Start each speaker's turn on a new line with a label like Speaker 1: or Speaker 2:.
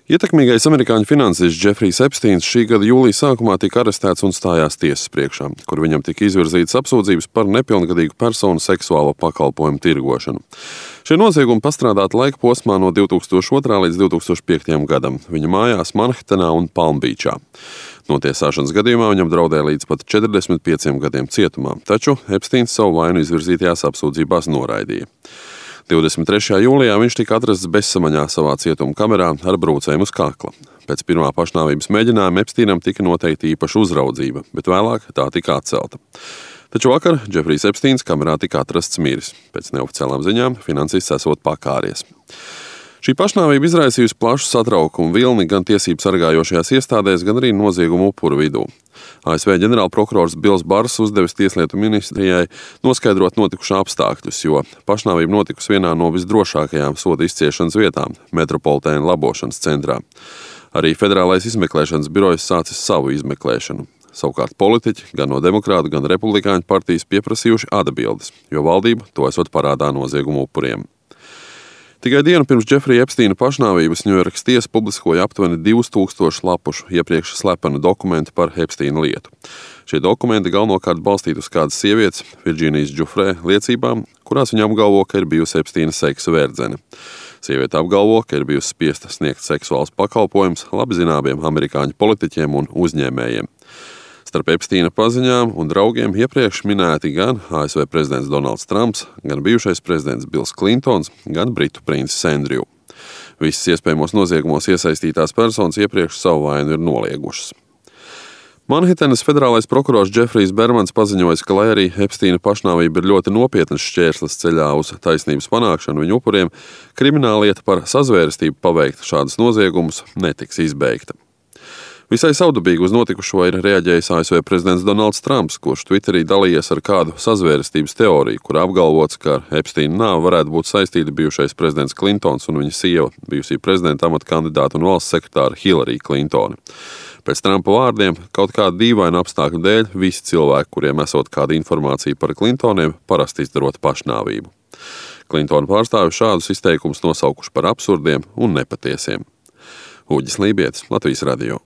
Speaker 1: Ietekmīgais amerikāņu finansists Džefrijs Epsteins šī gada jūlija sākumā tika arestēts un stājās tiesas priekšā, kur viņam tika izvirzītas apsūdzības par nepilngadīgu personu seksuālo pakalpojumu tirgošanu. Šie noziegumi pastrādāti laika posmā no 2002. līdz 2005. gadam viņa mājās Manhetenā un Palmbīčā. Notiesāšanas gadījumā viņam draudēja līdz pat 45 gadiem cietumā, taču Epsteins savu vainu izvirzītajās apsūdzībās noraidīja. 23. jūlijā viņš tika atrasts bezsamaņā savā cietuma kamerā ar brūcēm uz kakla. Pēc pirmā pašnāvības mēģinājuma Epsteinam tika noteikti īpaša uzraudzība, bet vēlāk tā tika atcelta. Taču vakar Džefrijs Epsteins kamerā tika atrasts miris. Pēc neoficiālām ziņām finansists esot pakāries. Šī pašnāvība izraisījusi plašu satraukumu vilni gan tiesību sargājošajās iestādēs, gan arī noziegumu upuru vidū. ASV ģenerālprokurors Bils Bars uzdevis Tieslietu ministrijai noskaidrot notikušā apstākļus, jo pašnāvība notikusi vienā no visdrošākajām soda izciešanas vietām - Metropolitēna labošanas centrā. Arī Federālais izmeklēšanas birojs sācis savu izmeklēšanu. Savukārt politiķi gan no demokrātu, gan republikāņu partijas pieprasījuši atbildes, jo valdība to esot parādā noziegumu upuriem. Tikai dienu pirms Džefrija Epsteina pašnāvības Ņujorkas tiesa publiskoja aptuveni 2000 lapušu iepriekš slepenu dokumentu par Epsteina lietu. Šie dokumenti galvenokārt balstīti uz kādas sievietes, Virģīnijas Džufrē, liecībām, kurās viņa apgalvo, ka ir bijusi Epsteina seksa verdzene. Sieviete apgalvo, ka ir bijusi spiesta sniegt seksuāls pakalpojums labi zināmiem amerikāņu politiķiem un uzņēmējiem. Starp Epsteina paziņām un draugiem iepriekš minēti gan ASV prezidents Donalds Trumps, gan bijušais prezidents Bills Klintons, gan britu princis Andrew. Visas iespējamos noziegumos iesaistītās personas iepriekš savu vainu ir noliegušas. Manhetenas federālais prokurors Džefrijs Bermans paziņoja, ka, lai arī Epsteina pašnāvība ir ļoti nopietnas šķērslis ceļā uz taisnības panākšanu viņu upuriem, krimināllieta par sazvērestību paveikt šādus noziegumus netiks izbeigta. Visai savdabīgi uz notikušo ir reaģējis ASV prezidents Donalds Trumps, kurš Twitterī dalījies ar kādu sazvērestības teoriju, kur apgalvots, ka ar Epsteina nāvi varētu būt saistīti bijušais prezidents Klintons un viņa sieva, bijusī prezidenta amata kandidāta un valsts sekretāra Hillary Clintone. Pēc Trumpa vārdiem, kaut kāda dīvaina apstākļu dēļ, visi cilvēki, kuriem esot kāda informācija par Clintoniem, parasti izdarot pašnāvību. Clintona pārstāvji šādus izteikumus nosaukuši par absurdiem un nepatiesiem. Uģis Lībietis, Latvijas radio.